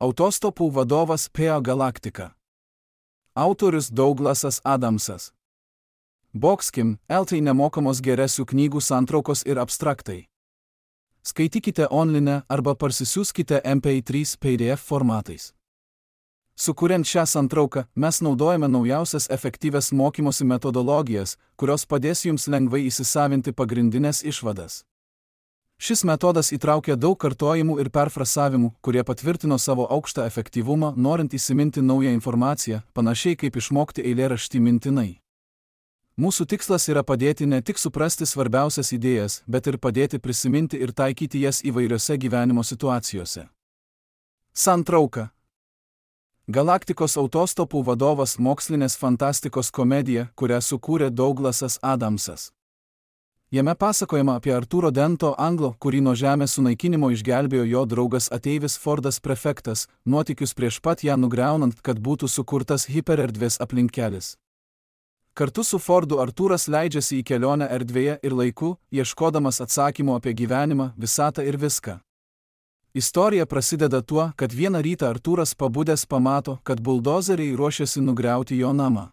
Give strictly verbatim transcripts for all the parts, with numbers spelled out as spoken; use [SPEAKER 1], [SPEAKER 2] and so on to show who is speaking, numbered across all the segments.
[SPEAKER 1] Autostopų vadovas Peo Galaktika. Autorius Douglasas Adamsas. Boxkim, L tai nemokamos geresių knygų santraukos ir abstraktai. Skaitykite online arba parsisiųskite M P trys P D F formatais. Sukuriant šią santrauką, mes naudojame naujausias efektyvias mokymosi metodologijas, kurios padės jums lengvai įsisavinti pagrindinės išvadas. Šis metodas įtraukia daug kartojimų ir perfrasavimų, kurie patvirtino savo aukštą efektyvumą, norint įsiminti naują informaciją, panašiai kaip išmokti eilėraštį mintinai. Mūsų tikslas yra padėti ne tik suprasti svarbiausias idėjas, bet ir padėti prisiminti ir taikyti jas įvairiose gyvenimo situacijose. Santrauka. Galaktikos autostopų vadovas mokslinės fantastikos komedija, kurią sukūrė Douglasas Adamsas. Jame pasakojama apie Artūro Dento anglo, kurį nuo žemės sunaikinimo išgelbėjo jo draugas ateivis Fordas prefektas, nuotykius prieš pat ją nugriaunant, kad būtų sukurtas hipererdvės aplinkelis. Kartu su Fordu Artūras leidžiasi į kelionę erdvėje ir laiku, ieškodamas atsakymų apie gyvenimą, visatą ir viską. Istorija prasideda tuo, kad vieną rytą Artūras pabudęs pamato, kad buldozeriai ruošiasi nugriauti jo namą.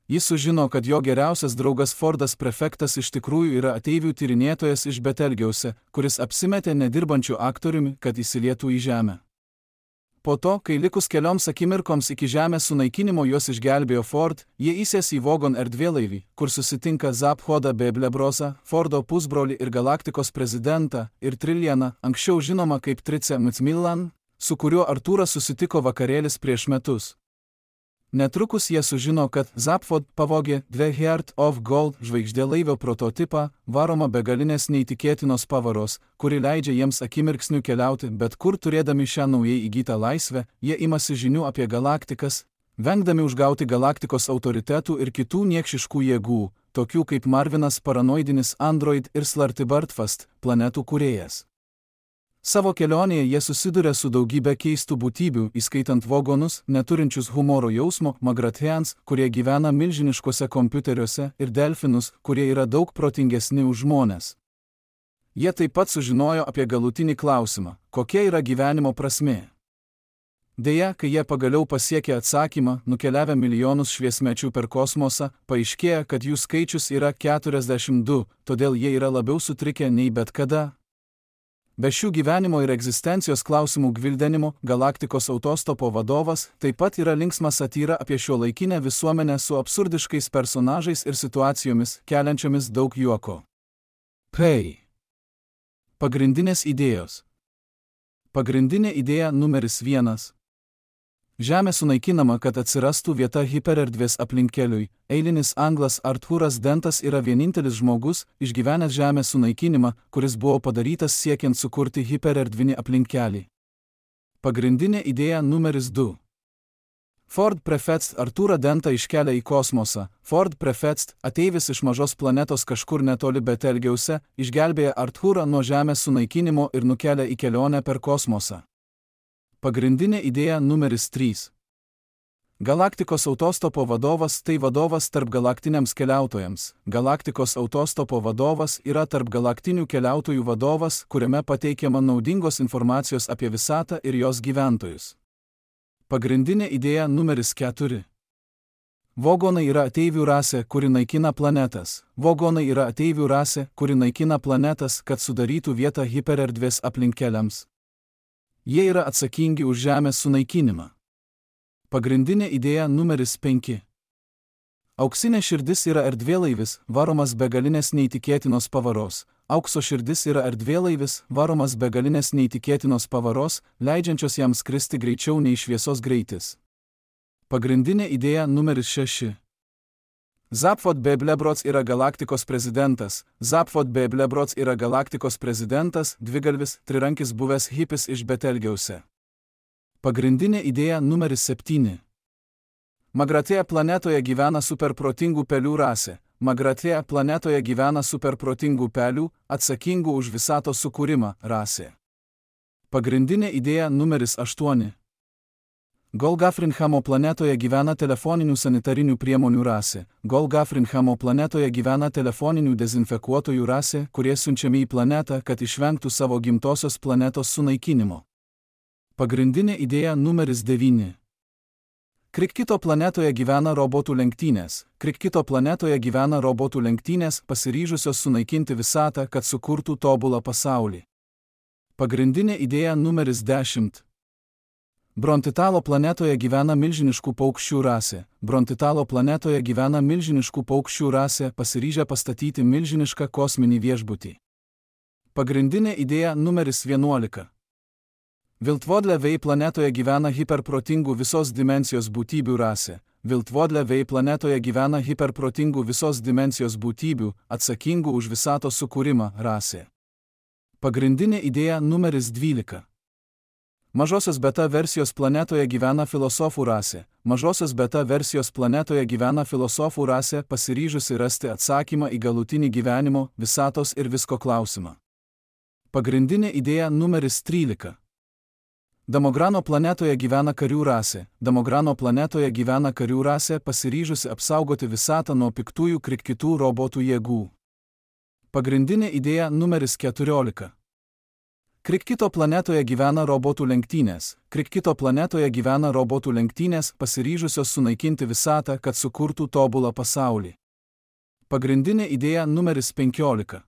[SPEAKER 1] Jis sužino, kad jo geriausias draugas Fordas prefektas iš tikrųjų yra ateivių tyrinėtojas iš Betelgiause, kuris apsimetė nedirbančių aktoriumi, kad įsilietų į žemę. Po to, kai likus kelioms akimirkoms iki žemės sunaikinimo juos išgelbėjo Ford, jie įsės į Vogon erdvėlaivį, kur susitinka Zaphodą Beblebrosą, Fordo pusbrolį ir Galaktikos prezidentą, ir Trillianą, anksčiau žinoma kaip Trice Macmillan, su kuriuo Artūras susitiko vakarėlis prieš metus. Netrukus jie sužino, kad Zaphod pavogė The Heart of Gold žvaigždėlaivio prototipą, varoma begalinės neįtikėtinos pavaros, kuri leidžia jiems akimirksniu keliauti, bet kur turėdami šią naujai įgytą laisvę, jie imasi žinių apie galaktikas, vengdami užgauti galaktikos autoritetų ir kitų niekšiškų jėgų, tokių kaip Marvinas paranoidinis android ir Slartibartfast, planetų kūrėjas. Savo kelionėje jie susiduria su daugybė keistų būtybių, įskaitant vogonus, neturinčius humoro jausmo, magratheans, kurie gyvena milžiniškuose kompiuteriuose, ir delfinus, kurie yra daug protingesni už žmones. Jie taip pat sužinojo apie galutinį klausimą, kokia yra gyvenimo prasmė. Deja, kai jie pagaliau pasiekė atsakymą, nukeliavę milijonus šviesmečių per kosmosą, paaiškėja, kad jų skaičius yra keturiasdešimt du, todėl jie yra labiau sutrikę nei bet kada. Be šių gyvenimo ir egzistencijos klausimų gvildenimo, Galaktikos autostopo vadovas taip pat yra linksma satyra apie šiuolaikinę visuomenę su absurdiškais personažais ir situacijomis, keliančiomis daug juoko. P. Pagrindinės idėjos. Pagrindinė idėja numeris vienas. Žemė sunaikinama, kad atsirastų vieta hipererdvės aplinkeliui. Eilinis anglas Artūras Dentas yra vienintelis žmogus, išgyvenęs žemės sunaikinimą, kuris buvo padarytas siekiant sukurti hipererdvinį aplinkelį. Pagrindinė idėja numeris du. Ford prefektas Artūrą Dentą iškelia į kosmosą. Ford prefektas, ateivis iš mažos planetos kažkur netoli Betelgiause, išgelbėja Artūrą nuo žemės sunaikinimo ir nukelia į kelionę per kosmosą. Pagrindinė idėja numeris trys. Galaktikos autostopo vadovas tai vadovas tarp galaktiniams keliautojams. Galaktikos autostopo vadovas yra tarp galaktinių keliautojų vadovas, kuriame pateikiama naudingos informacijos apie visatą ir jos gyventojus. Pagrindinė idėja numeris keturi. Vogonai yra ateivių rasė, kuri naikina planetas. Vogonai yra ateivių rasė, kuri naikina planetas, kad sudarytų vietą hipererdvės aplinkeliams. Jie yra atsakingi už žemės sunaikinimą. Pagrindinė idėja numeris penki. Auksinė širdis yra erdvėlaivis, varomas begalinės neįtikėtinos pavaros. Aukso širdis yra erdvėlaivis, varomas begalinės neįtikėtinos pavaros, leidžiančios jam skristi greičiau nei šviesos greitis. Pagrindinė idėja numeris šeši. Zaphod Beblebrosas yra Galaktikos prezidentas. Zaphod Beblebrosas yra Galaktikos prezidentas, dvigalvis, trirankis buvęs hipis iš Betelgiause. Pagrindinė idėja numeris septyni. Magratėja planetoje gyvena superprotingų pelių rasė. Magratėja planetoje gyvena superprotingų pelių, atsakingų už visatos sukūrimą, rasė. Pagrindinė idėja numeris aštuoni. Golgafrinhamo planetoje gyvena telefoninių sanitarinių priemonių rasė. Golgafrinhamo planetoje gyvena telefoninių dezinfekuotojų rasė, kurie siunčiami į planetą, kad išvengtų savo gimtosios planetos sunaikinimo. Pagrindinė idėja numeris devyni. Krikkito planetoje gyvena robotų lenktynės. Krikkito planetoje gyvena robotų lenktynės, pasiryžusios sunaikinti visatą, kad sukurtų tobulą pasaulį. Pagrindinė idėja numeris dešimt. Brontitalo planetoje gyvena milžiniškų paukščių rasė. Brontitalo planetoje gyvena milžiniškų paukščių rasė, pasiryžę pastatyti milžinišką kosminį viešbutį. Pagrindinė idėja numeris vienuolika. Viltvodle Vei planetoje gyvena hiperprotingų visos dimensijos būtybių rasė. Viltvodle Vei planetoje gyvena hiperprotingų visos dimensijos būtybių, atsakingų už visatos sukūrimą rasė. Pagrindinė idėja numeris dvylika. Mažosios beta versijos planetoje gyvena filosofų rasė. Mažosios beta versijos planetoje gyvena filosofų rasė, pasiryžusi rasti atsakymą į galutinį gyvenimo, visatos ir visko klausimą. Pagrindinė idėja numeris trylika. Damograno planetoje gyvena karių rasė. Damograno planetoje gyvena karių rasė, pasiryžusi apsaugoti visatą nuo piktųjų krikkitų robotų jėgų. Pagrindinė idėja numeris keturiolika. Krikkito planetoje gyvena robotų lenktynės. Krikkito planetoje gyvena robotų lenktynės, pasiryžusios sunaikinti visatą, kad sukurtų tobulą pasaulį. Pagrindinė idėja numeris penkiolika.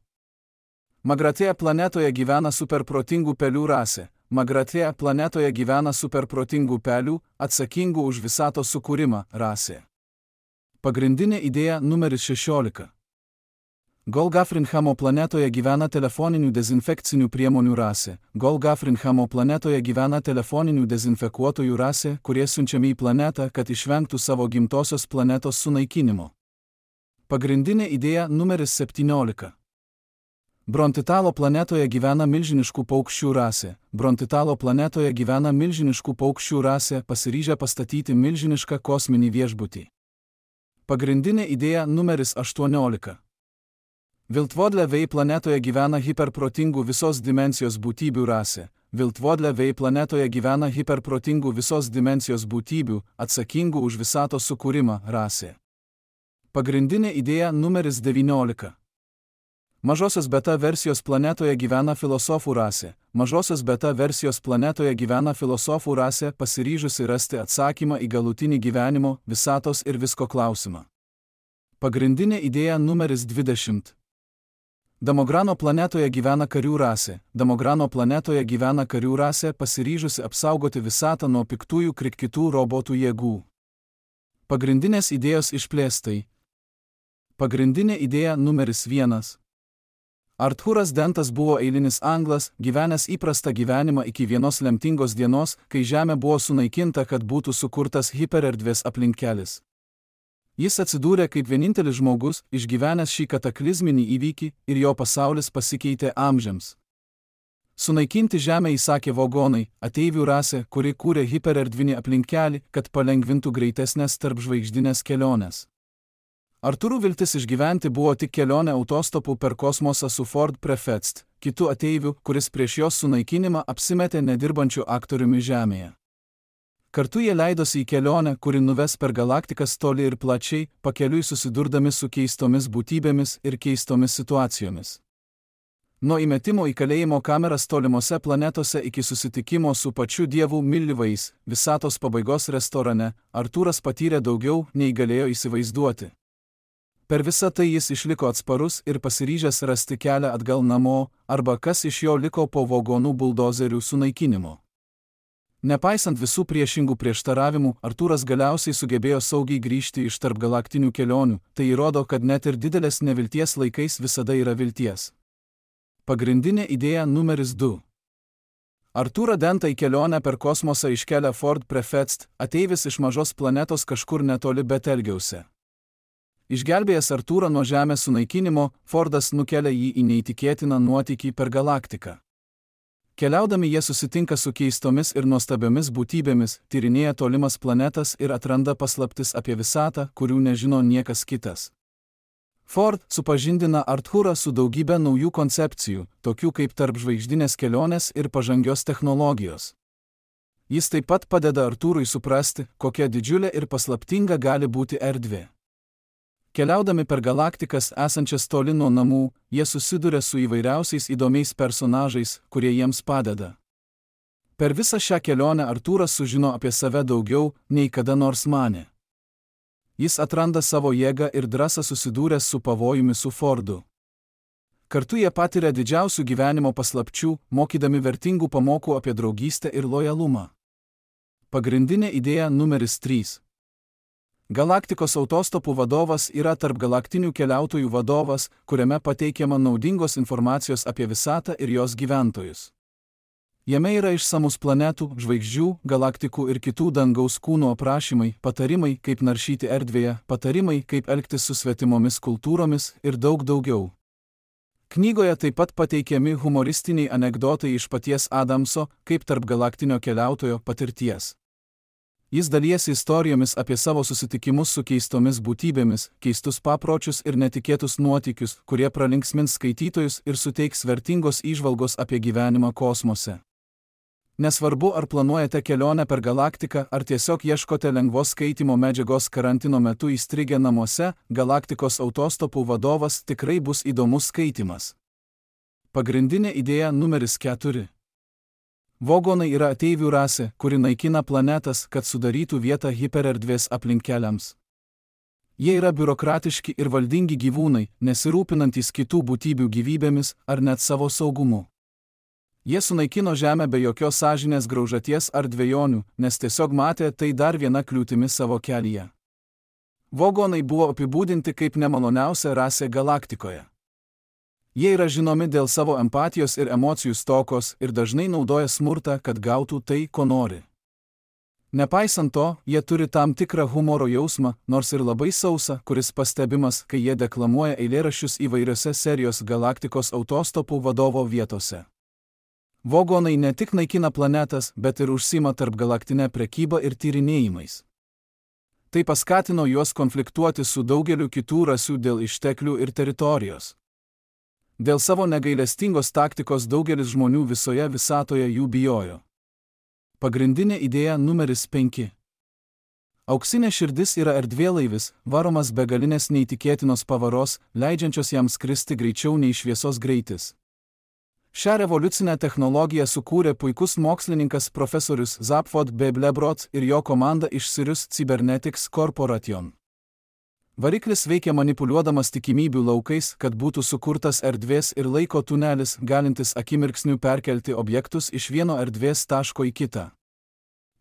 [SPEAKER 1] Magratėje planetoje gyvena superprotingų pelių rasė. Magratėje planetoje gyvena superprotingų pelių, atsakingų už visatos sukūrimą rasė. Pagrindinė idėja numeris šešiolika. Golgafrinhamo planetoje gyvena telefoninių dezinfekcinių priemonių rasė. Golgafrinhamo planetoje gyvena telefoninių dezinfekuotojų rasė, kurie siunčiami į planetą, kad išvengtų savo gimtosios planetos sunaikinimo. Pagrindinė idėja numeris septyniolika. Brontitalo planetoje gyvena milžiniškų paukščių rasė. Brontitalo planetoje gyvena milžiniškų paukščių rasė, pasiryžę pastatyti milžinišką kosminį viešbutį. Pagrindinė idėja numeris aštuoniolika. Viltvodle Vei planetoje gyvena hiperprotingų visos dimensijos būtybių rasė. Viltvodle Vei planetoje gyvena hiperprotingų visos dimensijos būtybių, atsakingų už visatos sukūrimą rasė. Pagrindinė idėja numeris devyniolika. Mažosios beta versijos planetoje gyvena filosofų rasė. Mažosios beta versijos planetoje gyvena filosofų rasė, pasiryžusi rasti atsakymą į galutinį gyvenimo, visatos ir visko klausimą. Pagrindinė idėja numeris dvidešimt. Damograno planetoje gyvena karių rasė. Damograno planetoje gyvena karių rasė, pasiryžusi apsaugoti visatą nuo piktųjų krikkitų robotų jėgų. Pagrindinės idėjos išplėstai. Pagrindinė idėja numeris vienas. Artūras Dentas buvo eilinis anglas, gyvenęs įprastą gyvenimą iki vienos lemtingos dienos, kai Žemė buvo sunaikinta, kad būtų sukurtas hipererdvės aplinkelis. Jis atsidūrė kaip vienintelis žmogus, išgyvenęs šį kataklizminį įvykį, ir jo pasaulis pasikeitė amžiams. Sunaikinti Žemę įsakė vogonai, ateivių rasė, kuri kūrė hipererdvinį aplinkelį, kad palengvintų greitesnės tarpžvaigždinės keliones. Artūrų viltis išgyventi buvo tik kelionė autostopu per kosmosą su Ford Prefect, kitu ateiviu, kuris prieš jos sunaikinimą apsimetė nedirbančiu aktoriumi Žemėje. Kartu jie leidosi į kelionę, kuri nuves per galaktikas toli ir plačiai, pakeliui susidurdami su keistomis būtybėmis ir keistomis situacijomis. Nuo įmetimo į kalėjimo kameras tolimose planetose iki susitikimo su pačiu dievu Milivais, visatos pabaigos restorane, Artūras patyrė daugiau, nei galėjo įsivaizduoti. Per visą tai jis išliko atsparus ir pasiryžęs rasti kelią atgal namo, arba kas iš jo liko po vagonų buldozerių sunaikinimo. Nepaisant visų priešingų prieštaravimų, Artūras galiausiai sugebėjo saugiai grįžti iš tarpgalaktinių kelionių, tai įrodo, kad net ir didelės nevilties laikais visada yra vilties. Pagrindinė idėja numeris du. Artūrą Dentą į kelionę per kosmosą iškelia Ford Prefect, ateivis iš mažos planetos kažkur netoli Betelgiause. Išgelbėjęs Artūrą nuo Žemės sunaikinimo, Fordas nukelia jį į neįtikėtiną nuotykį per galaktiką. Keliaudami jie susitinka su keistomis ir nuostabiomis būtybėmis, tyrinėja tolimas planetas ir atranda paslaptis apie visatą, kurių nežino niekas kitas. Ford supažindina Artūrą su daugybė naujų koncepcijų, tokių kaip tarpžvaigždinės kelionės ir pažangios technologijos. Jis taip pat padeda Artūrui suprasti, kokia didžiulė ir paslaptinga gali būti erdvė. Keliaudami per galaktikas esančias toli nuo namų, jie susiduria su įvairiausiais įdomiais personažais, kurie jiems padeda. Per visą šią kelionę Artūras sužino apie save daugiau, nei kada nors manė. Jis atranda savo jėgą ir drąsą susidūręs su pavojumi su Fordu. Kartu jie patiria didžiausių gyvenimo paslapčių, mokydami vertingų pamokų apie draugystę ir lojalumą. Pagrindinė idėja numeris trys. Galaktikos autostopų vadovas yra tarpgalaktinių keliautojų vadovas, kuriame pateikiama naudingos informacijos apie visatą ir jos gyventojus. Jame yra išsamus planetų, žvaigždžių, galaktikų ir kitų dangaus kūnų aprašymai, patarimai, kaip naršyti erdvėje, patarimai, kaip elgtis su svetimomis kultūromis ir daug daugiau. Knygoje taip pat pateikiami humoristiniai anekdotai iš paties Adamso, kaip tarpgalaktinio keliautojo patirties. Jis dalijasi istorijomis apie savo susitikimus su keistomis būtybėmis, keistus papročius ir netikėtus nuotykius, kurie pralinksmins skaitytojus ir suteiks vertingos įžvalgos apie gyvenimą kosmose. Nesvarbu, ar planuojate kelionę per galaktiką, ar tiesiog ieškote lengvos skaitymo medžiagos karantino metu įstrigę namuose, Galaktikos autostopų vadovas tikrai bus įdomus skaitymas. Pagrindinė idėja numeris keturi. Vogonai yra ateivių rasė, kuri naikina planetas, kad sudarytų vietą hipererdvės aplinkeliams. Jie yra biurokratiški ir valdingi gyvūnai, nesirūpinantys kitų būtybių gyvybėmis ar net savo saugumu. Jie sunaikino Žemę be jokios sąžinės graužaties ar dvejonių, nes tiesiog matė tai dar viena kliūtimi savo kelyje. Vogonai buvo apibūdinti kaip nemaloniausia rasė galaktikoje. Jie yra žinomi dėl savo empatijos ir emocijų stokos ir dažnai naudoja smurtą, kad gautų tai, ko nori. Nepaisant to, jie turi tam tikrą humoro jausmą, nors ir labai sausą, kuris pastebimas, kai jie deklamuoja eilėraščius įvairiose serijos Galaktikos autostopų vadovo vietose. Vogonai ne tik naikina planetas, bet ir užsima tarpgalaktinę prekybą ir tyrinėjimais. Tai paskatino juos konfliktuoti su daugeliu kitų rasių dėl išteklių ir teritorijos. Dėl savo negailestingos taktikos daugelis žmonių visoje visatoje jų bijojo. Pagrindinė idėja numeris penki. Auksinė širdis yra erdvėlaivis, varomas begalinės neįtikėtinos pavaros, leidžiančios jam skristi greičiau nei šviesos greitis. Šią revoliucinę technologiją sukūrė puikus mokslininkas profesorius Zapfod Beblebrot ir jo komanda iš Sirius Cybernetics Corporation. Variklis veikia manipuliuodamas tikimybių laukais, kad būtų sukurtas erdvės ir laiko tunelis, galintis akimirksniu perkelti objektus iš vieno erdvės taško į kitą.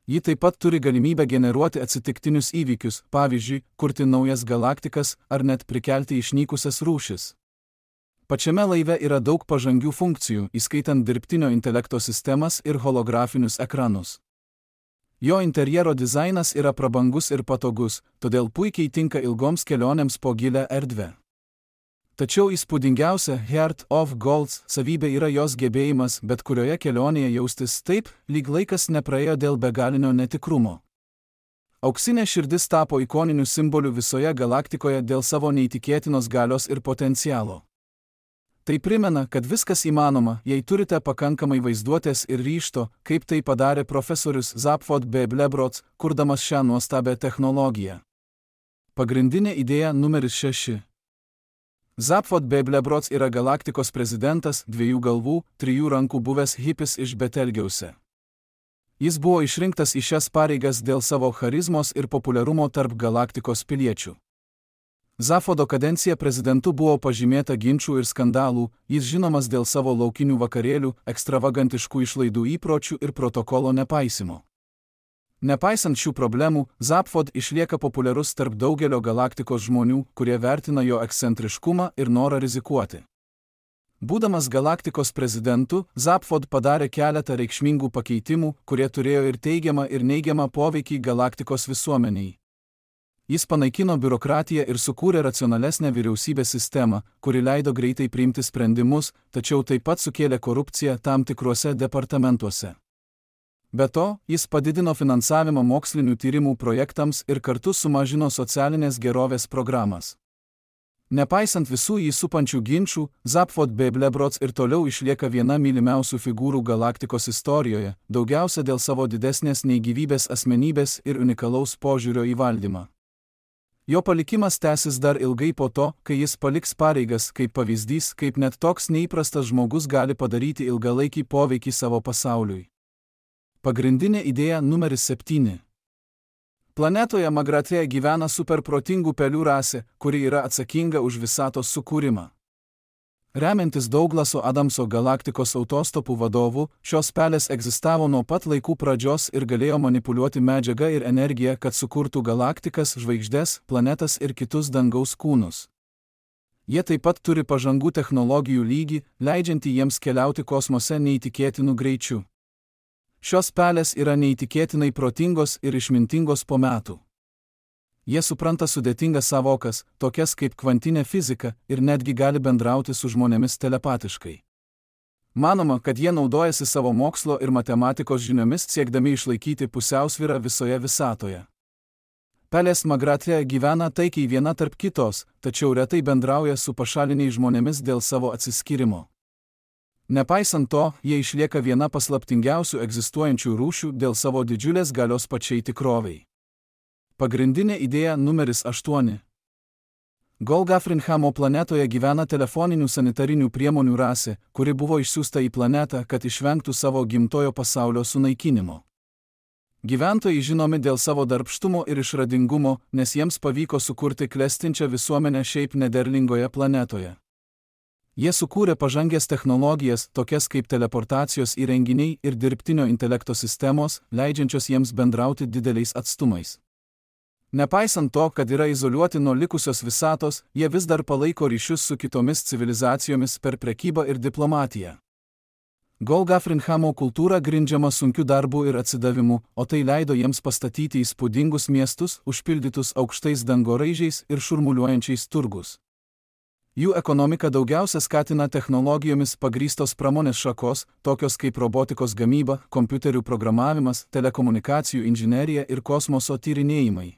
[SPEAKER 1] Ji taip pat turi galimybę generuoti atsitiktinius įvykius, pavyzdžiui, kurti naujas galaktikas ar net prikelti išnykusias rūšis. Pačiame laive yra daug pažangių funkcijų, įskaitant dirbtinio intelekto sistemas ir holografinius ekranus. Jo interjero dizainas yra prabangus ir patogus, todėl puikiai tinka ilgoms kelionėms po gilią erdvę. Tačiau įspūdingiausia Heart of Gold savybė yra jos gebėjimas bet kurioje kelionėje jaustis taip, lyg laikas nepraėjo dėl begalinio netikrumo. Auksinė širdis tapo ikoniniu simboliu visoje galaktikoje dėl savo neįtikėtinos galios ir potencialo. Tai primena, kad viskas įmanoma, jei turite pakankamai vaizduotės ir ryžto, kaip tai padarė profesorius Zapfod Beblebrot, kurdamas šią nuostabią technologiją. Pagrindinė idėja numeris šeši. Zapfod Beblebrot yra galaktikos prezidentas, dviejų galvų, trijų rankų buvęs hipis iš Betelgeuse. Jis buvo išrinktas į šias pareigas dėl savo charizmos ir populiarumo tarp galaktikos piliečių. Zapfodo kadencija prezidentu buvo pažymėta ginčų ir skandalų, jis žinomas dėl savo laukinių vakarėlių, ekstravagantiškų išlaidų įpročių ir protokolo nepaisimo. Nepaisant šių problemų, Zapfod išlieka populiarus tarp daugelio galaktikos žmonių, kurie vertina jo ekscentriškumą ir norą rizikuoti. Būdamas galaktikos prezidentu, Zapfod padarė keletą reikšmingų pakeitimų, kurie turėjo ir teigiamą ir neigiamą poveikį galaktikos visuomeniai. Jis panaikino biurokratiją ir sukūrė racionalesnę vyriausybės sistemą, kuri leido greitai priimti sprendimus, tačiau taip pat sukėlė korupciją tam tikruose departamentuose. Be to, jis padidino finansavimą mokslinių tyrimų projektams ir kartu sumažino socialinės gerovės programas. Nepaisant visų jį supančių ginčų, Zapfod Beblebrot ir toliau išlieka viena mylimiausių figūrų galaktikos istorijoje, daugiausia dėl savo didesnės nei gyvybės asmenybės ir unikalaus požiūrio į valdymą. Jo palikimas tęsis dar ilgai po to, kai jis paliks pareigas, kaip pavyzdys, kaip net toks neįprastas žmogus gali padaryti ilgalaikį poveikį savo pasauliui. Pagrindinė idėja numeris septyni. Planetoje Magratėje gyvena superprotingų pelių rasė, kuri yra atsakinga už visatos sukūrimą. Remiantis Douglaso Adamso galaktikos autostopų vadovu, šios pelės egzistavo nuo pat laikų pradžios ir galėjo manipuliuoti medžiagą ir energiją, kad sukurtų galaktikas, žvaigždes, planetas ir kitus dangaus kūnus. Jie taip pat turi pažangų technologijų lygį, leidžiantį jiems keliauti kosmose neįtikėtinų greičių. Šios pelės yra neįtikėtinai protingos ir išmintingos po metų. Jie supranta sudėtingas savokas, tokias kaip kvantinė fizika, ir netgi gali bendrauti su žmonėmis telepatiškai. Manoma, kad jie naudojasi savo mokslo ir matematikos žiniomis siekdami išlaikyti pusiausvyrą visoje visatoje. Pelės Magratėje gyvena taikiai viena tarp kitos, tačiau retai bendrauja su pašaliniais žmonėmis dėl savo atsiskyrimo. Nepaisant to, jie išlieka viena paslaptingiausių egzistuojančių rūšių dėl savo didžiulės galios pačiai tikrovei. Pagrindinė idėja numeris aštuoni. Golgafrinhamo planetoje gyvena telefoninių sanitarinių priemonių rasė, kuri buvo išsiųsta į planetą, kad išvengtų savo gimtojo pasaulio sunaikinimo. Gyventojai žinomi dėl savo darbštumo ir išradingumo, nes jiems pavyko sukurti klestinčią visuomenę šiaip nederlingoje planetoje. Jie sukūrė pažangės technologijas, tokias kaip teleportacijos įrenginiai ir dirbtinio intelekto sistemos, leidžiančios jiems bendrauti dideliais atstumais. Nepaisant to, kad yra izoliuoti nuo likusios visatos, jie vis dar palaiko ryšius su kitomis civilizacijomis per prekybą ir diplomatiją. Golgafrinhamo kultūra grindžiama sunkiu darbu ir atsidavimu, o tai leido jiems pastatyti įspūdingus miestus, užpildytus aukštais dangoraižiais ir šurmuliuojančiais turgus. Jų ekonomika daugiausia skatina technologijomis pagrįstos pramonės šakos, tokios kaip robotikos gamyba, kompiuterių programavimas, telekomunikacijų inžinerija ir kosmoso tyrinėjimai.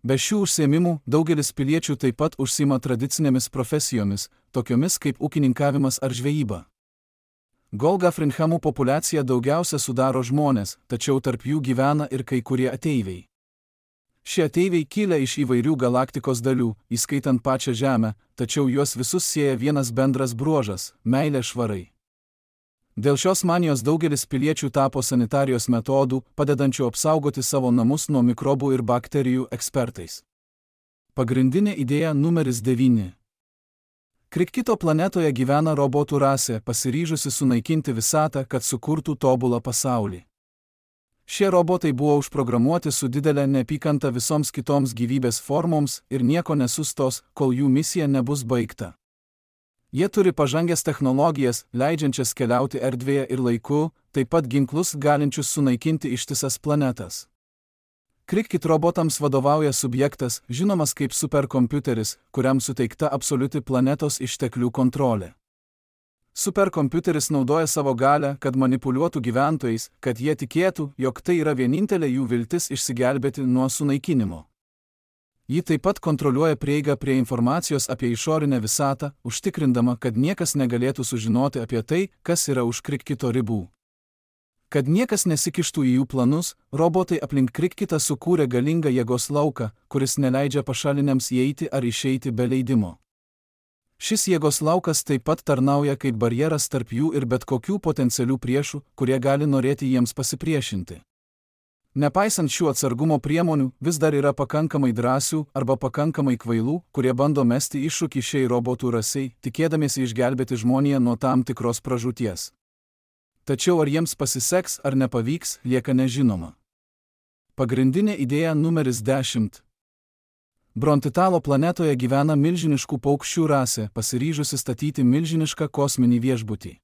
[SPEAKER 1] Be šių užsiėmimų daugelis piliečių taip pat užsiima tradicinėmis profesijomis, tokiomis kaip ūkininkavimas ar žvejyba. Golgafrinhamų populiacija daugiausia sudaro žmonės, tačiau tarp jų gyvena ir kai kurie ateiviai. Šie ateiviai kilę iš įvairių galaktikos dalių, įskaitant pačią Žemę, tačiau juos visus sieja vienas bendras bruožas – meilė švarai. Dėl šios manijos daugelis piliečių tapo sanitarijos metodų, padedančių apsaugoti savo namus nuo mikrobų ir bakterijų ekspertais. Pagrindinė idėja numeris devyni. Krikkito planetoje gyvena robotų rasė, pasiryžusi sunaikinti visatą, kad sukurtų tobulą pasaulį. Šie robotai buvo užprogramuoti su didelė neapykanta visoms kitoms gyvybės formoms ir nieko nesustos, kol jų misija nebus baigta. Jie turi pažangės technologijas, leidžiančias keliauti erdvėje ir laiku, taip pat ginklus galinčius sunaikinti ištisas planetas. Krikkit robotams vadovauja subjektas, žinomas kaip superkompiuteris, kuriam suteikta absoliuti planetos išteklių kontrolė. Superkompiuteris naudoja savo galią, kad manipuliuotų gyventojais, kad jie tikėtų, jog tai yra vienintelė jų viltis išsigelbėti nuo sunaikinimo. Ji taip pat kontroliuoja prieigą prie informacijos apie išorinę visatą, užtikrindama, kad niekas negalėtų sužinoti apie tai, kas yra už Krikkito ribų. Kad niekas nesikištų į jų planus, robotai aplink Krikkitą sukūrė galingą jėgos lauką, kuris neleidžia pašaliniams įeiti ar išeiti be leidimo. Šis jėgos laukas taip pat tarnauja kaip barjeras tarp jų ir bet kokių potencialių priešų, kurie gali norėti jiems pasipriešinti. Nepaisant šių atsargumo priemonių, vis dar yra pakankamai drąsių arba pakankamai kvailų, kurie bando mesti iššūkį šiai robotų rasei, tikėdamiesi išgelbėti žmoniją nuo tam tikros pražūties. Tačiau ar jiems pasiseks ar nepavyks, lieka nežinoma. Pagrindinė idėja numeris dešimt. Brontitalo planetoje gyvena milžiniškų paukščių rasė, pasiryžusi statyti milžinišką kosminį viešbutį.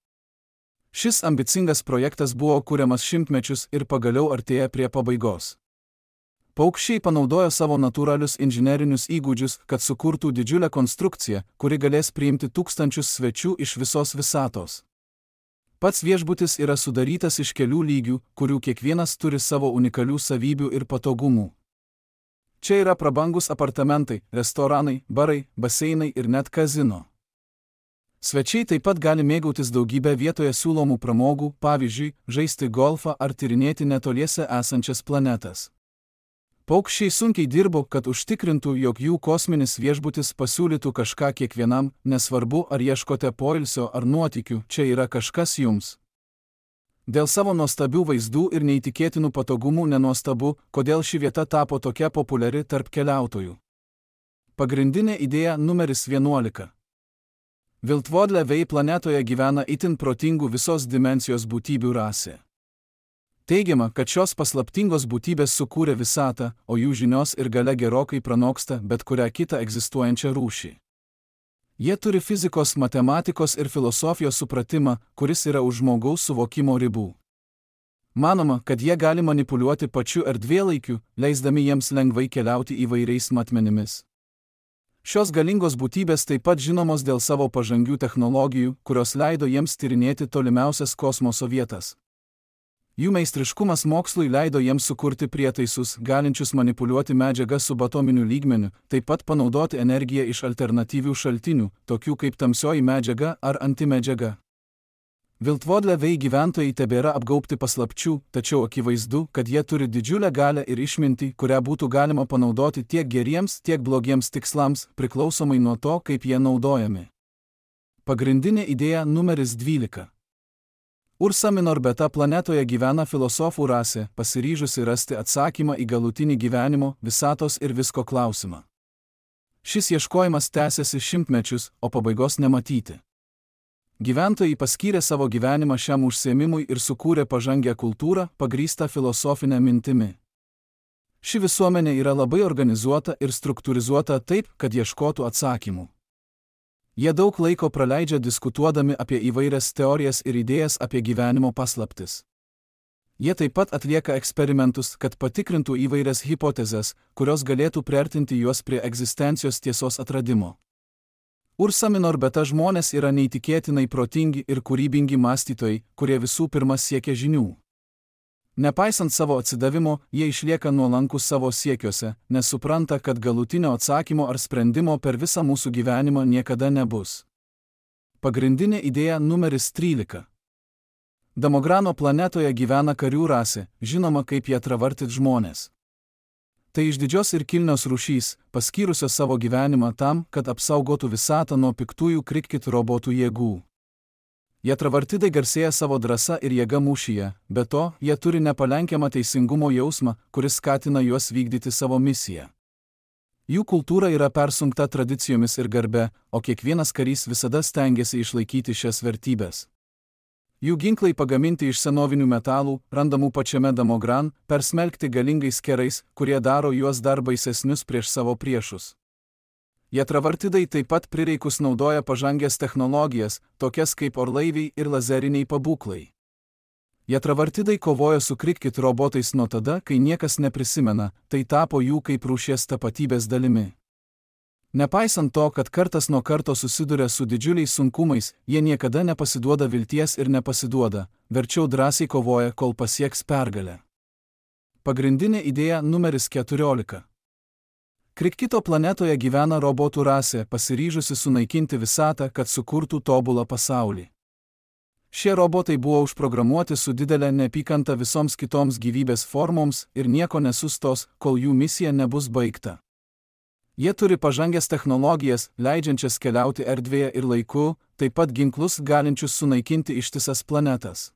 [SPEAKER 1] Šis ambicingas projektas buvo kuriamas šimtmečius ir pagaliau artėja prie pabaigos. Paukščiai panaudojo savo natūralius inžinerinius įgūdžius, kad sukurtų didžiulę konstrukciją, kuri galės priimti tūkstančius svečių iš visos visatos. Pats viešbutis yra sudarytas iš kelių lygių, kurių kiekvienas turi savo unikalių savybių ir patogumų. Čia yra prabangus apartamentai, restoranai, barai, baseinai ir net kazino. Svečiai taip pat gali mėgautis daugybę vietoje siūlomų pramogų, pavyzdžiui, žaisti golfą ar tyrinėti netoliese esančias planetas. Paukščiai sunkiai dirbo, kad užtikrintų, jog jų kosminis viešbutis pasiūlytų kažką kiekvienam, nesvarbu ar ieškote poilsio ar nuotykių, čia yra kažkas jums. Dėl savo nuostabių vaizdų ir neįtikėtinų patogumų nenuostabu, kodėl ši vieta tapo tokia populiari tarp keliautojų. Pagrindinė idėja numeris vienuolika. Viltvordle Vei planetoje gyvena itin protingų visos dimensijos būtybių rasė. Teigiama, kad šios paslaptingos būtybės sukūrė visatą, o jų žinios ir galia gerokai pranoksta bet kurią kitą egzistuojančią rūšį. Jie turi fizikos, matematikos ir filosofijos supratimą, kuris yra už žmogaus suvokimo ribų. Manoma, kad jie gali manipuliuoti pačiu erdvėlaikiu, leisdami jiems lengvai keliauti įvairiais matmenimis. Šios galingos būtybės taip pat žinomos dėl savo pažangių technologijų, kurios leido jiems tyrinėti tolimiausias kosmoso vietas. Jų meistriškumas mokslui leido jiems sukurti prietaisus, galinčius manipuliuoti medžiagą subatominiu lygmeniu, taip pat panaudoti energiją iš alternatyvių šaltinių, tokių kaip tamsioji medžiaga ar antimedžiaga. Viltvordle Vei gyventojai tebėra apgaubti paslapčių, tačiau akivaizdu, kad jie turi didžiulę galią ir išmintį, kurią būtų galima panaudoti tiek geriems, tiek blogiems tikslams, priklausomai nuo to, kaip jie naudojami. Pagrindinė idėja numeris dvylika. Ursa Minor Beta planetoje gyvena filosofų rasė, pasiryžusi rasti atsakymą į galutinį gyvenimo, visatos ir visko klausimą. Šis ieškojimas tęsiasi šimtmečius, o pabaigos nematyti. Gyventojai paskyrė savo gyvenimą šiam užsiėmimui ir sukūrė pažangę kultūrą, pagrįstą filosofinę mintimi. Ši visuomenė yra labai organizuota ir struktūrizuota taip, kad ieškotų atsakymų. Jie daug laiko praleidžia diskutuodami apie įvairias teorijas ir idėjas apie gyvenimo paslaptis. Jie taip pat atlieka eksperimentus, kad patikrintų įvairias hipotezes, kurios galėtų priartinti juos prie egzistencijos tiesos atradimo. Ursa Minor Beta žmonės yra neįtikėtinai protingi ir kūrybingi mąstytojai, kurie visų pirma siekia žinių. Nepaisant savo atsidavimo, jie išlieka nuolankus savo siekiuose, nes supranta, kad galutinio atsakymo ar sprendimo per visą mūsų gyvenimą niekada nebus. Pagrindinė idėja numeris trylika. Damograno planetoje gyvena karių rasė, žinoma kaip jie travartit žmonės. Tai išdidžios ir kilnios rūšys, paskyrusios savo gyvenimą tam, kad apsaugotų visatą nuo piktųjų Krikit robotų jėgų. Jie travartidai garsėja savo drąsa ir jėga mūšyje, be to, jie turi nepalenkiamą teisingumo jausmą, kuris skatina juos vykdyti savo misiją. Jų kultūra yra persunkta tradicijomis ir garbe, o kiekvienas karys visada stengiasi išlaikyti šias vertybės. Jų ginklai pagaminti iš senovinių metalų, randamų pačiame Damogran, persmelkti galingais kerais, kurie daro juos dar baisesnius prieš savo priešus. Jie travartidai taip pat prireikus naudoja pažangės technologijas, tokias kaip orlaiviai ir lazeriniai pabūklai. Jie travartidai kovoja su Krikit robotais nuo tada, kai niekas neprisimena, tai tapo jų kaip rūšies tapatybės dalimi. Nepaisant to, kad kartas nuo karto susiduria su didžiuliais sunkumais, jie niekada nepasiduoda vilties ir nepasiduoda, verčiau drąsiai kovoja, kol pasieks pergalę. Pagrindinė idėja numeris keturiolika. Krikito planetoje gyvena robotų rasė, pasiryžusi sunaikinti visatą, kad sukurtų tobulą pasaulį. Šie robotai buvo užprogramuoti su didelė neapykanta visoms kitoms gyvybės formoms ir nieko nesustos, kol jų misija nebus baigta. Jie turi pažangęs technologijas, leidžiančias keliauti erdvėje ir laiku, taip pat ginklus galinčius sunaikinti ištisas planetas.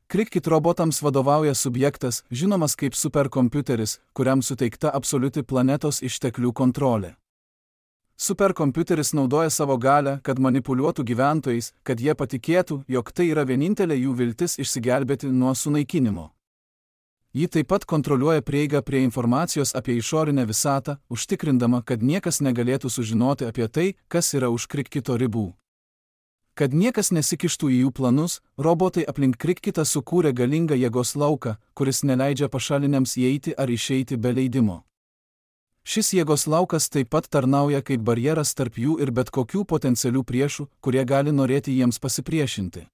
[SPEAKER 1] Krikit robotams vadovauja subjektas, žinomas kaip superkompiuteris, kuriam suteikta absoliuti planetos išteklių kontrolė. Superkompiuteris naudoja savo galią, kad manipuliuotų gyventojais, kad jie patikėtų, jog tai yra vienintelė jų viltis išsigelbėti nuo sunaikinimo. Ji taip pat kontroliuoja prieigą prie informacijos apie išorinę visatą, užtikrindama, kad niekas negalėtų sužinoti apie tai, kas yra už Krikito ribų. Kad niekas nesikištų į jų planus, robotai aplink Krikitą sukūrė galingą jėgos lauką, kuris neleidžia pašaliniams įeiti ar išeiti be leidimo. Šis jėgos laukas taip pat tarnauja kaip barjeras tarp jų ir bet kokių potencialių priešų, kurie gali norėti jiems pasipriešinti.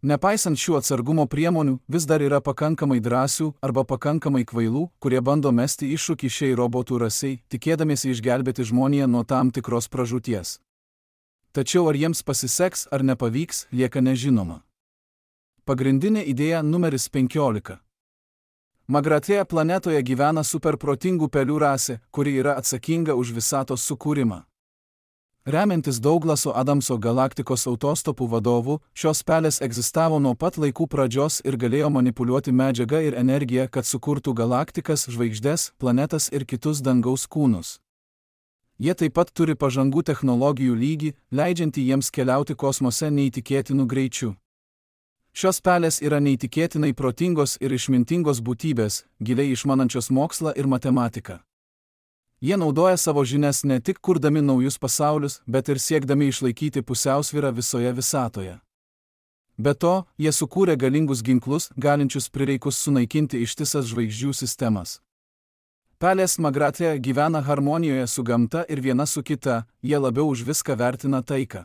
[SPEAKER 1] Nepaisant šių atsargumo priemonių, vis dar yra pakankamai drąsių arba pakankamai kvailų, kurie bando mesti iššūkį šiai robotų rasiai, tikėdamiesi išgelbėti žmoniją nuo tam tikros pražūties. Tačiau ar jiems pasiseks ar nepavyks, lieka nežinoma. Pagrindinė idėja numeris penkiolika. Magratėje planetoje gyvena superprotingų pelių rasė, kuri yra atsakinga už visatos sukūrimą. Remiantis Douglaso Adamso galaktikos autostopų vadovu, šios pelės egzistavo nuo pat laikų pradžios ir galėjo manipuliuoti medžiagą ir energiją, kad sukurtų galaktikas, žvaigždes, planetas ir kitus dangaus kūnus. Jie taip pat turi pažangų technologijų lygį, leidžiantį jiems keliauti kosmose neįtikėtinų greičių. Šios pelės yra neįtikėtinai protingos ir išmintingos būtybės, giliai išmanančios mokslą ir matematiką. Jie naudoja savo žinias ne tik kurdami naujus pasaulius, bet ir siekdami išlaikyti pusiausvyrą visoje visatoje. Be to, jie sukūrė galingus ginklus, galinčius prireikus sunaikinti ištisas žvaigždžių sistemas. Pelės Magratė gyvena harmonijoje su gamta ir viena su kita, jie labiau už viską vertina taiką.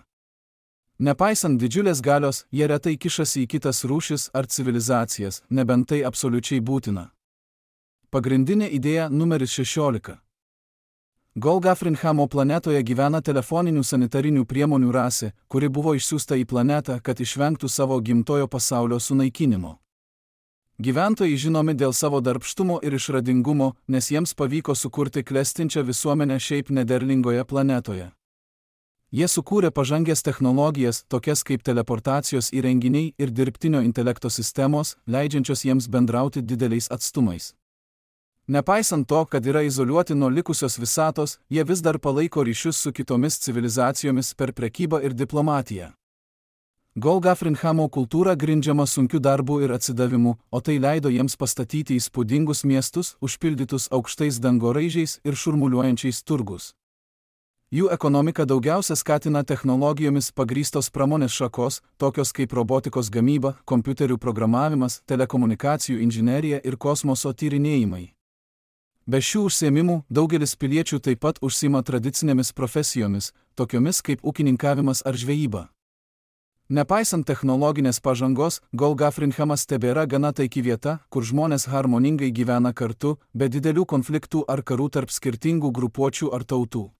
[SPEAKER 1] Nepaisant didžiulės galios, jie retai kišasi į kitas rūšis ar civilizacijas, nebent tai absoliučiai būtina. Pagrindinė idėja numeris šešiolika. Golgafrinhamo planetoje gyvena telefoninių sanitarinių priemonių rasė, kuri buvo išsiųsta į planetą, kad išvengtų savo gimtojo pasaulio sunaikinimo. Gyventojai žinomi dėl savo darbštumo ir išradingumo, nes jiems pavyko sukurti klestinčią visuomenę šiaip nederlingoje planetoje. Jie sukūrė pažangės technologijas, tokias kaip teleportacijos įrenginiai ir dirbtinio intelekto sistemos, leidžiančios jiems bendrauti dideliais atstumais. Nepaisant to, kad yra izoliuoti nuo likusios visatos, jie vis dar palaiko ryšius su kitomis civilizacijomis per prekybą ir diplomatiją. Golgafrinhamo kultūra grindžiama sunkiu darbu ir atsidavimu, o tai leido jiems pastatyti įspūdingus miestus, užpildytus aukštais dangoraižiais ir šurmuliuojančiais turgus. Jų ekonomika daugiausia skatina technologijomis pagrįstos pramonės šakos, tokios kaip robotikos gamyba, kompiuterių programavimas, telekomunikacijų inžinerija ir kosmoso tyrinėjimai. Be šių užsiėmimų, daugelis piliečių taip pat užsiima tradicinėmis profesijomis, tokiomis kaip ūkininkavimas ar žvejyba. Nepaisant technologinės pažangos, Golgafrinhamas tebėra gana taiki vieta, kur žmonės harmoningai gyvena kartu, be didelių konfliktų ar karų tarp skirtingų grupuočių ar tautų.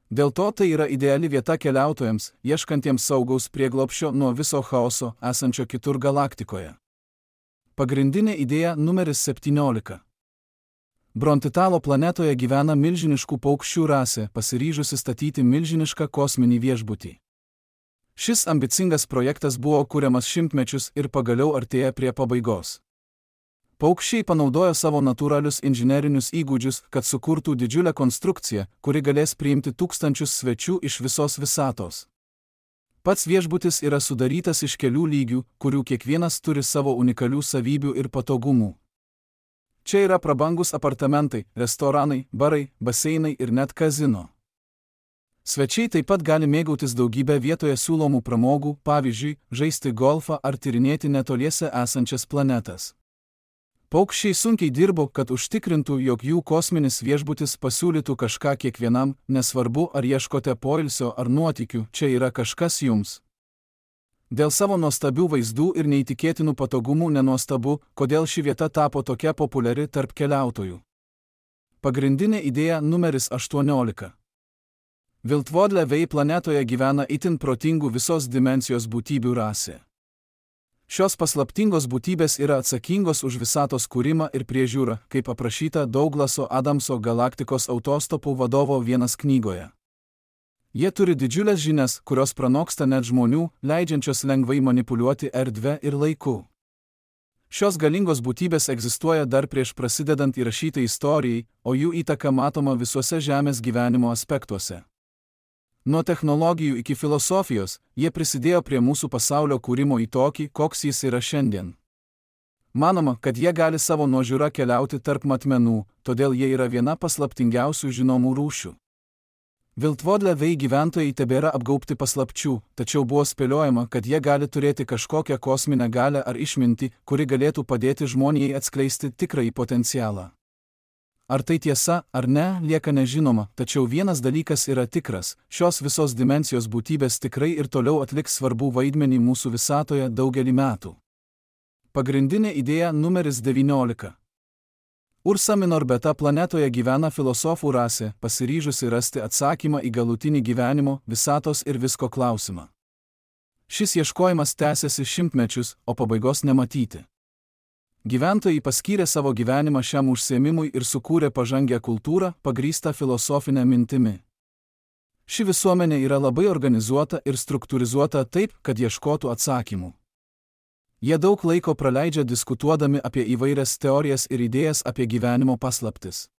[SPEAKER 1] Dėl to tai yra ideali vieta keliautojams, ieškantiems saugaus prieglobsčio nuo viso chaoso, esančio kitur galaktikoje. Pagrindinė idėja numeris septyniolika. Brontitalo planetoje gyvena milžiniškų paukščių rasė, pasiryžusi statyti milžinišką kosminį viešbutį. Šis ambicingas projektas buvo kuriamas šimtmečius ir pagaliau artėja prie pabaigos. Paukščiai panaudojo savo natūralius inžinerinius įgūdžius, kad sukurtų didžiulę konstrukciją, kuri galės priimti tūkstančius svečių iš visos visatos. Pats viešbutis yra sudarytas iš kelių lygių, kurių kiekvienas turi savo unikalių savybių ir patogumų. Čia yra prabangus apartamentai, restoranai, barai, baseinai ir net kazino. Svečiai taip pat gali mėgautis daugybę vietoje siūlomų pramogų, pavyzdžiui, žaisti golfą ar tyrinėti netoliese esančias planetas. Paukščiai sunkiai dirbo, kad užtikrintų, jog jų kosminis viešbutis pasiūlytų kažką kiekvienam, nesvarbu ar ieškote poilsio ar nuotykių, čia yra kažkas jums. Dėl savo nuostabių vaizdų ir neįtikėtinų patogumų nenuostabu, kodėl ši vieta tapo tokia populiari tarp keliautojų. Pagrindinė idėja numeris aštuoniolika. Viltvodle Vei planetoje gyvena itin protingų visos dimensijos būtybių rasė. Šios paslaptingos būtybės yra atsakingos už visatos kūrimą ir priežiūrą, kaip aprašyta Douglaso Adamso galaktikos autostopų vadovo vienas knygoje. Jie turi didžiulės žinias, kurios pranoksta net žmonių, leidžiančios lengvai manipuliuoti erdve ir laiku. Šios galingos būtybės egzistuoja dar prieš prasidedant įrašytai istorijai, o jų įtaka matoma visuose žemės gyvenimo aspektuose. Nuo technologijų iki filosofijos, jie prisidėjo prie mūsų pasaulio kūrimo į tokį, koks jis yra šiandien. Manoma, kad jie gali savo nuožiūra keliauti tarp matmenų, todėl jie yra viena paslaptingiausių žinomų rūšių. Viltvodle Vei gyventojai tebėra apgaubti paslapčių, tačiau buvo spėliojama, kad jie gali turėti kažkokią kosminę galią ar išmintį, kuri galėtų padėti žmonijai atskleisti tikrąjį potencialą. Ar tai tiesa, ar ne, lieka nežinoma, tačiau vienas dalykas yra tikras, šios visos dimensijos būtybės tikrai ir toliau atliks svarbų vaidmenį mūsų visatoje daugelį metų. Pagrindinė idėja numeris devyniolika. Ursa Minor Beta planetoje gyvena filosofų rasė, pasiryžusi rasti atsakymą į galutinį gyvenimo, visatos ir visko klausimą. Šis ieškojimas tęsiasi šimtmečius, o pabaigos nematyti. Gyventojai paskyrė savo gyvenimą šiam užsiėmimui ir sukūrė pažangę kultūrą, pagrįstą filosofinę mintimi. Ši visuomenė yra labai organizuota ir struktūrizuota taip, kad ieškotų atsakymų. Jie daug laiko praleidžia diskutuodami apie įvairias teorijas ir idėjas apie gyvenimo paslaptis.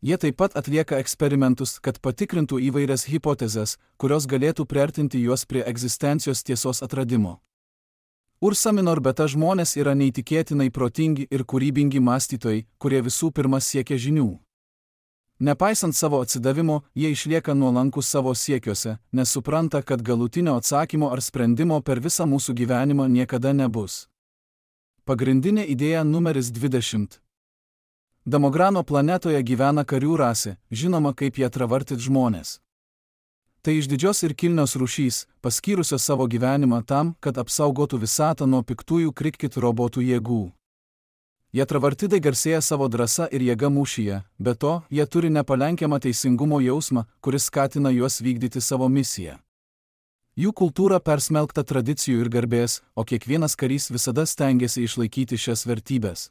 [SPEAKER 1] Jie taip pat atlieka eksperimentus, kad patikrintų įvairias hipotezes, kurios galėtų priartinti juos prie egzistencijos tiesos atradimo. Ursa minor beta žmonės yra neįtikėtinai protingi ir kūrybingi mąstytojai, kurie visų pirma siekia žinių. Nepaisant savo atsidavimo, jie išlieka nuolankus savo siekiuose, nes supranta, kad galutinio atsakymo ar sprendimo per visą mūsų gyvenimą niekada nebus. Pagrindinė idėja numeris dvidešimt. Damograno planetoje gyvena karių rasė, žinoma kaip jie travartit žmonės. Tai išdidžios ir kilnios rūšys, paskyrusios savo gyvenimą tam, kad apsaugotų visatą nuo piktųjų krikit robotų jėgų. Jie travartidai garsėja savo drąsa ir jėga mūšyje, be to, jie turi nepalenkiamą teisingumo jausmą, kuris skatina juos vykdyti savo misiją. Jų kultūra persmelkta tradicijų ir garbės, o kiekvienas karys visada stengiasi išlaikyti šias vertybės.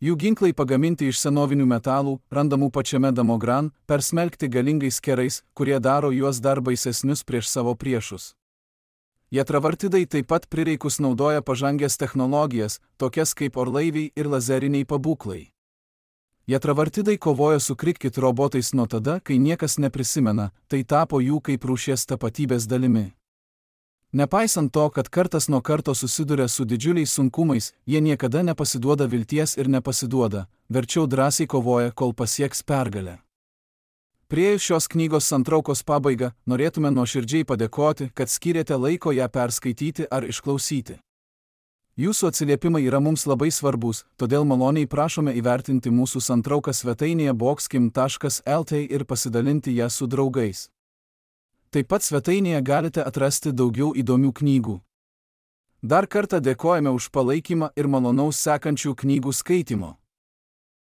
[SPEAKER 1] Jų ginklai pagaminti iš senovinių metalų, randamų pačiame Damogran, persmelkti galingais kerais, kurie daro juos dar baisesnius prieš savo priešus. Jie travartidai taip pat prireikus naudoja pažangės technologijas, tokias kaip orlaiviai ir lazeriniai pabūklai. Jie travartidai kovoja su krikit robotais nuo tada, kai niekas neprisimena, tai tapo jų kaip rūšies tapatybės dalimi. Nepaisant to, kad kartas nuo karto susiduria su didžiuliais sunkumais, jie niekada nepasiduoda vilties ir nepasiduoda, verčiau drąsiai kovoja, kol pasieks pergalę. Priėjus šios knygos santraukos pabaigą, norėtume nuoširdžiai padėkoti, kad skyrėte laiko ją perskaityti ar išklausyti. Jūsų atsiliepimai yra mums labai svarbus, todėl maloniai prašome įvertinti mūsų santrauką svetainėje boxkim taškas lt ir pasidalinti ją su draugais. Taip pat svetainėje galite atrasti daugiau įdomių knygų. Dar kartą dėkojame už palaikymą ir malonaus sekančių knygų skaitimo.